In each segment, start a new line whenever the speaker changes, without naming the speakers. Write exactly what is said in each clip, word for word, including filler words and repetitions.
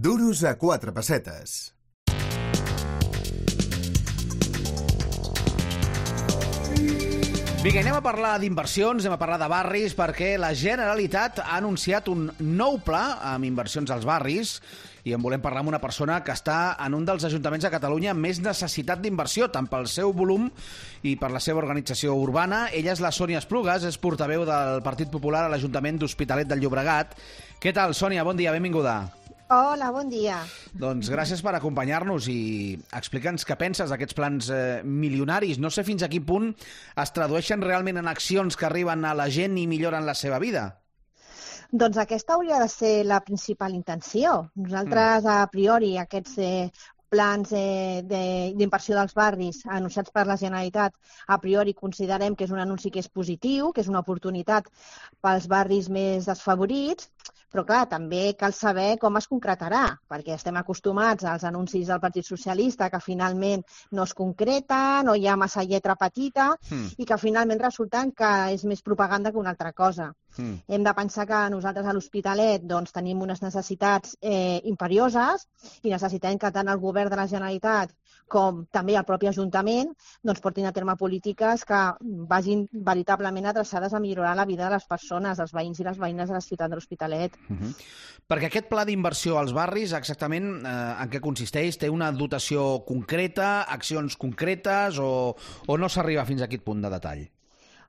Duros a quatre pessetes.
Vinga, anem a parlar d'inversions, anem a parlar de barris, perquè la Generalitat ha anunciat un nou pla amb inversions als barris i en volem parlar amb una persona que està en un dels ajuntaments de Catalunya amb més necessitat d'inversió, tant pel seu volum i per la seva organització urbana. Ella és la Sònia Esplugues, és portaveu del Partit Popular a l'Ajuntament d'Hospitalet del Llobregat. Què tal, Sònia? Bon dia, benvinguda.
Hola, bon dia.
Doncs gràcies per acompanyar-nos i explica'ns què penses d'aquests plans eh, milionaris. No sé fins a quin punt es tradueixen realment en accions que arriben a la gent i milloren la seva vida.
Doncs aquesta hauria de ser la principal intenció. Nosaltres, mm. a priori, aquests eh, plans eh, d'inversió dels barris anunciats per la Generalitat, a priori considerem que és un anunci que és positiu, que és una oportunitat pels barris més desfavorits, però clar, també cal saber com es concretarà, perquè estem acostumats als anuncis del Partit Socialista que finalment no es concreta, no hi ha massa lletra petita mm. i que finalment resulten que és més propaganda que una altra cosa. Mm. Hem de pensar que nosaltres a l'Hospitalet doncs, tenim unes necessitats eh, imperioses i necessitem que tant el govern de la Generalitat com també el propi Ajuntament doncs, portin a terme polítiques que vagin veritablement adreçades a millorar la vida de les persones, dels veïns i les veïnes de la ciutat de l'Hospitalet.
Uh -huh. Perquè aquest pla d'inversió als barris, exactament eh, en què consisteix? Té una dotació concreta, accions concretes o, o no s'arriba fins a aquest punt de detall?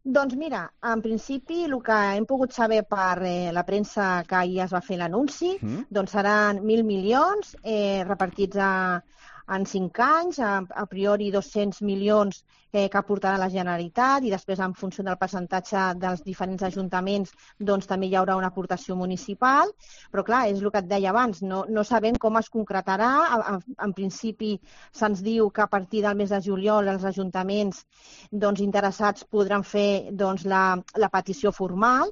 Doncs mira, en principi el que hem pogut saber per eh, la premsa que ahir es va fer l'anunci, mm. doncs seran mil milions eh, repartits a, en cinc anys, a, a priori dos-cents milions eh, que aportarà la Generalitat i després en funció del percentatge dels diferents ajuntaments doncs també hi haurà una aportació municipal, però clar, és el que et deia abans, no, no sabem com es concretarà. En, en principi se'ns diu que a partir del mes de juliol els ajuntaments doncs, interessats podran fer doncs, la, la petició formal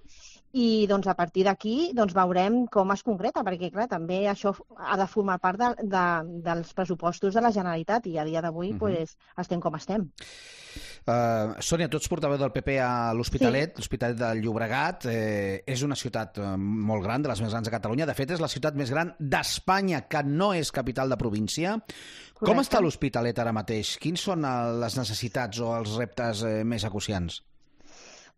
i doncs, a partir d'aquí doncs, veurem com es concreta, perquè clar, també això ha de formar part de, de, dels pressupostos de la Generalitat i a dia d'avui uh -huh. pues, estem com estem.
Uh, Sònia, tu ets portaveu del P P a l'Hospitalet, sí. l'Hospitalet del Llobregat. Eh, és una ciutat eh, molt gran, de les més grans de Catalunya. De fet, és la ciutat més gran d'Espanya, que no és capital de província. Correcte. Com està l'Hospitalet ara mateix? Quins són les necessitats o els reptes eh, més acuciants?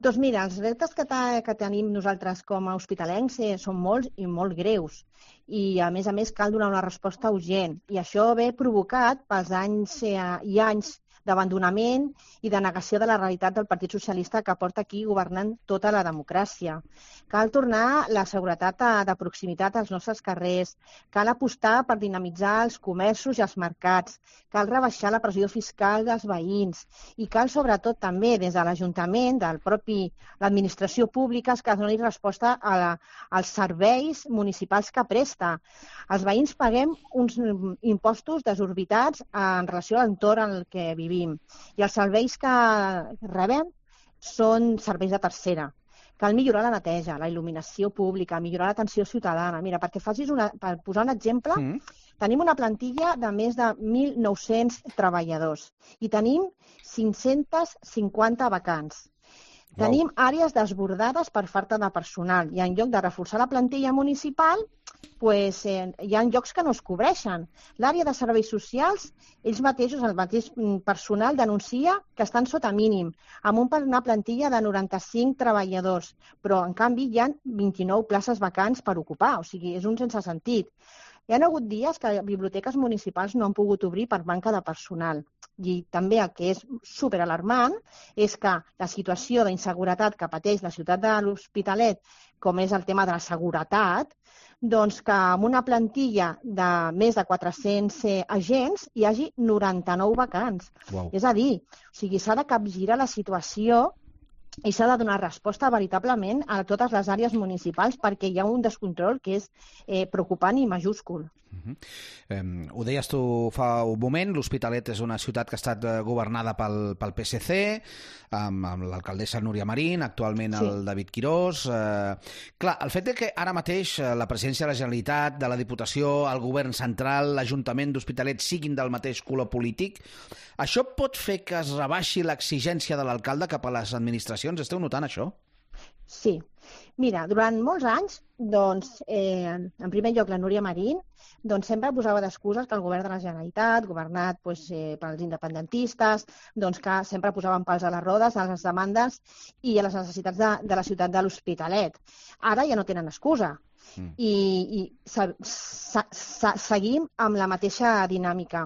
Doncs mira, els reptes que, que tenim nosaltres com a hospitalencs eh, són molts i molt greus i a més a més cal donar una resposta urgent i això ve provocat pels anys eh, i anys d'abandonament i de negació de la realitat del Partit Socialista que porta aquí governant tota la democràcia. Cal tornar la seguretat de proximitat als nostres carrers, cal apostar per dinamitzar els comerços i els mercats, cal rebaixar la pressió fiscal dels veïns i cal sobretot també des de l'Ajuntament, del propi l'administració pública, que es doni resposta a la, als serveis municipals que presta. Els veïns paguem uns impostos desorbitats en relació a l'entorn en el que vivim i els serveis que rebem són serveis de tercera. Cal millorar la neteja, la il·luminació pública, millorar l'atenció ciutadana. Mira, perquè facis una, per posar un exemple, mm. tenim una plantilla de més de mil nou-cents treballadors i tenim cinc-cents cinquanta vacants. Wow. Tenim àrees desbordades per falta de personal i en lloc de reforçar la plantilla municipal pues, eh, hi ha llocs que no es cobreixen. L'àrea de serveis socials, ells mateixos, el mateix personal, denuncia que estan sota mínim, amb una plantilla de noranta-cinc treballadors, però en canvi hi ha vint-i-nou places vacants per ocupar, o sigui, és un sense sentit. Hi ha hagut dies que biblioteques municipals no han pogut obrir per manca de personal. I també el que és superalarmant és que la situació d'inseguretat que pateix la ciutat de l'Hospitalet, com és el tema de la seguretat, doncs que amb una plantilla de més de quatre-cents eh, agents hi hagi noranta-nou vacants. Wow. És a dir, o sigui, s'ha de capgirar la situació i s'ha de donar resposta veritablement a totes les àrees municipals perquè hi ha un descontrol que és eh, preocupant i majúscul.
Uh-huh. eh, ho deies tu fa un moment, l'Hospitalet és una ciutat que ha estat governada pel, pel P S C, amb, amb l'alcaldessa Núria Marín, actualment sí. el David Quirós. Eh, clar, el fet de que ara mateix la presidència de la Generalitat, de la Diputació, el govern central, l'Ajuntament d'Hospitalet siguin del mateix color polític, això pot fer que es rebaixi l'exigència de l'alcalde cap a les administracions? Esteu notant això?
Sí. Mira, durant molts anys, doncs, eh, en primer lloc, la Núria Marín doncs, sempre posava d'excuses que el govern de la Generalitat, governat doncs, eh, pels independentistes, doncs, que sempre posaven pals a les rodes a les demandes i a les necessitats de, de la ciutat de l'Hospitalet. Ara ja no tenen excusa. Mm. I, i se, se, se, seguim amb la mateixa dinàmica.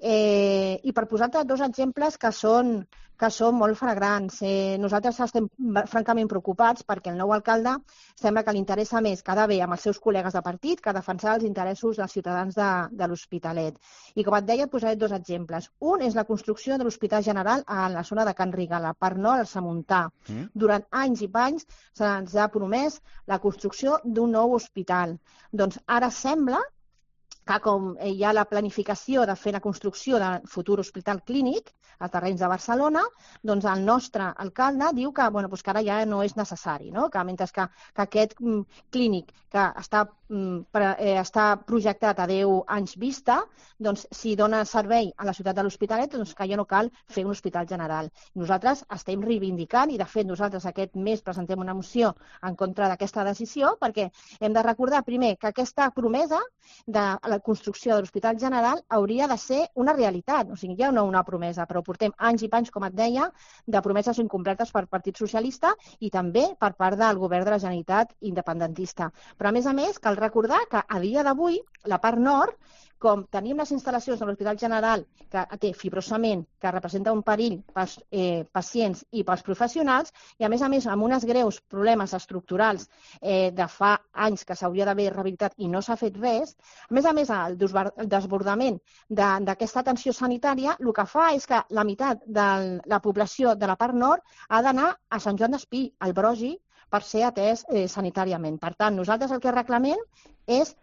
Eh, I per posar-te dos exemples que són, que són molt flagrants. Eh, nosaltres estem francament preocupats perquè el nou alcalde sembla que li interessa més quedar bé amb els seus col·legues de partit que defensar els interessos dels ciutadans de, de l'Hospitalet. I com et deia, et posaré dos exemples. Un és la construcció de l'Hospital General a la zona de Can Riga, a la part nord, al Samuntà. Mm. Durant anys i panys se'ns ha promès la construcció d'un nou hospital. Doncs ara sembla que com hi ha la planificació de fer la construcció del futur hospital clínic a terrenys de Barcelona, doncs el nostre alcalde diu que, bueno, doncs que ara ja no és necessari, no? Que mentre que, que aquest mm, clínic que està, mm, pre, eh, està projectat a deu anys vista, doncs si dona servei a la ciutat de l'Hospitalet, doncs que ja no cal fer un hospital general. Nosaltres estem reivindicant i, de fet, nosaltres aquest mes presentem una moció en contra d'aquesta decisió perquè hem de recordar, primer, que aquesta promesa de la construcció de l'Hospital General hauria de ser una realitat. O sigui, ja no una promesa, però portem anys i panys, com et deia, de promeses incomplertes per Partit Socialista i també per part del govern de la Generalitat independentista. Però, a més a més, cal recordar que a dia d'avui, la part nord, com tenim les instal·lacions de l'Hospital General que té fibrosament, que representa un perill pels eh, pacients i pels professionals, i a més a més amb uns greus problemes estructurals eh, de fa anys que s'hauria d'haver rehabilitat i no s'ha fet res, a més a més el desbordament d'aquesta atenció sanitària, el que fa és que la meitat de la població de la part nord ha d'anar a Sant Joan d'Espí, al Brogi, per ser atès eh, sanitàriament. Per tant, nosaltres el que reclamem és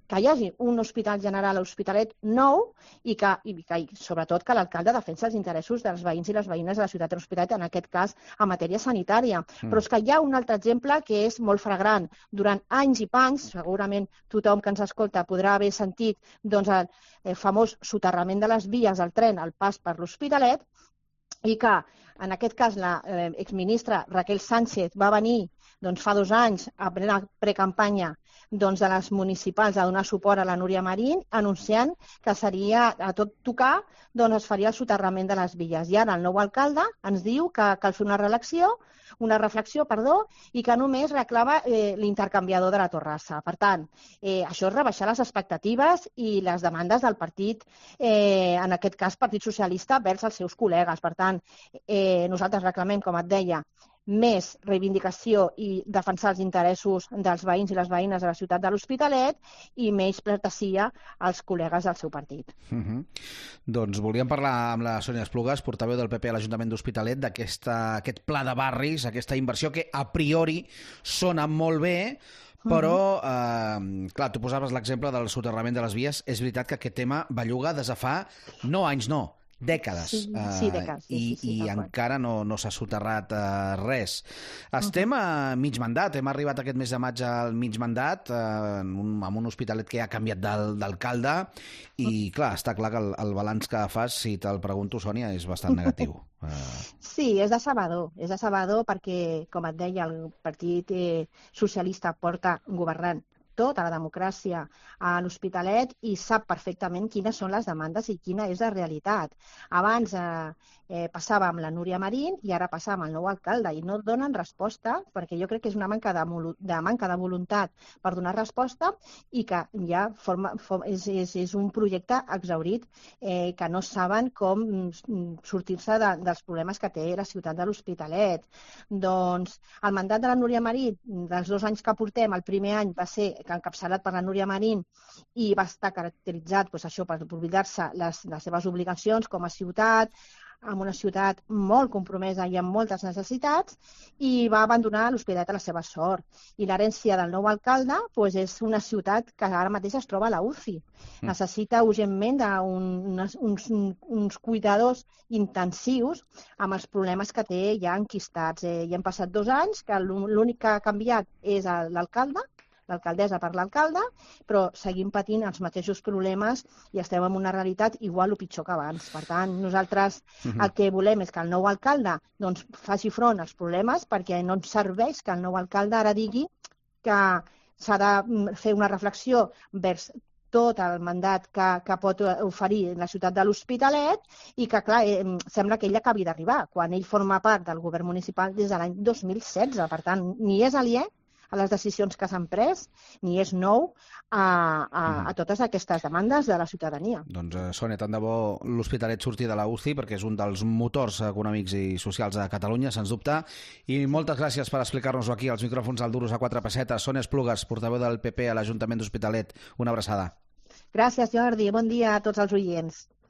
que hi hagi un hospital general a l'Hospitalet nou i que, i que sobretot, que l'alcalde defensa els interessos dels veïns i les veïnes de la ciutat de l'Hospitalet, en aquest cas, en matèria sanitària. Mm. Però és que hi ha un altre exemple que és molt flagrant. Durant anys i panys, segurament tothom que ens escolta podrà haver sentit doncs, el, el famós soterrament de les vies del tren al pas per l'Hospitalet, i que, en aquest cas, la eh, exministra Raquel Sánchez va venir doncs, fa dos anys, a plena precampanya doncs, de les municipals, a donar suport a la Núria Marín, anunciant que seria a tot tocar, doncs es faria el soterrament de les vies. I ara el nou alcalde ens diu que cal fer una reflexió, una reflexió, perdó, i que només reclama eh, l'intercanviador de la Torrassa. Per tant, eh, això és rebaixar les expectatives i les demandes del partit, eh, en aquest cas Partit Socialista, vers els seus col·legues. Per tant, eh, nosaltres reclamem, com et deia, més reivindicació i defensar els interessos dels veïns i les veïnes de la ciutat de l'Hospitalet i menys pleitesia als col·legues del seu partit.
Uh -huh. Doncs volíem parlar amb la Sònia Esplugas, portaveu del P P a l'Ajuntament d'Hospitalet, d'aquest pla de barris, aquesta inversió que a priori sona molt bé, però, eh, clar, tu posaves l'exemple del soterrament de les vies. És veritat que aquest tema belluga des de fa, no anys, no, dècades.
Sí, sí, dècades. Sí,
I,
sí, sí,
i encara no, no s'ha soterrat uh, res. Estem uh -huh. a mig mandat, hem arribat aquest mes de maig al mig mandat, uh, en un, amb un hospitalet que ha canviat d'alcalde i, uh -huh. clar, està clar que el, el balanç que fas, si te'l pregunto, Sònia, és bastant negatiu. Uh...
Sí, és decebedor, és decebedor perquè, com et deia, el Partit eh, Socialista porta governant tota la democràcia a l'Hospitalet i sap perfectament quines són les demandes i quina és la realitat. Abans eh, eh, passava amb la Núria Marín i ara passa amb el nou alcalde i no donen resposta perquè jo crec que és una manca de, de, manca de voluntat per donar resposta i que ja forma, forma, és, és, és un projecte exhaurit eh, que no saben com sortir-se de, dels problemes que té la ciutat de l'Hospitalet. Doncs el mandat de la Núria Marín, dels dos anys que portem, el primer any va ser encapçalat per la Núria Marín i va estar caracteritzat doncs, això per oblidar-se les, les seves obligacions com a ciutat, amb una ciutat molt compromesa i amb moltes necessitats, i va abandonar l'Hospitalet a la seva sort. I l'herència del nou alcalde doncs, és una ciutat que ara mateix es troba a la U C I. Mm. Necessita urgentment un, uns, uns cuidadors intensius amb els problemes que té ja enquistats. Eh, ja han passat dos anys, que l'únic que ha canviat és l'alcalde, l'alcaldessa per l'alcalde, però seguim patint els mateixos problemes i estem en una realitat igual o pitjor que abans. Per tant, nosaltres uh-huh. el que volem és que el nou alcalde doncs, faci front als problemes, perquè no ens serveix que el nou alcalde ara digui que s'ha de fer una reflexió vers tot el mandat que, que pot oferir la ciutat de l'Hospitalet i que, clar, eh, sembla que ell acabi d'arribar, quan ell forma part del govern municipal des de l'any dos mil setze. Per tant, ni és aliè a les decisions que s'han pres, ni és nou a, a, a totes aquestes demandes de la ciutadania.
Doncs, eh, Sònia, tant de bo l'Hospitalet surti de la U C I, perquè és un dels motors econòmics i socials de Catalunya, sens dubte. I moltes gràcies per explicar-nos-ho aquí, als micròfons del Duros a quatre pessetes. Sònia Esplugues, portaveu del P P a l'Ajuntament d'Hospitalet. Una abraçada.
Gràcies, Jordi. Bon dia a tots els oients.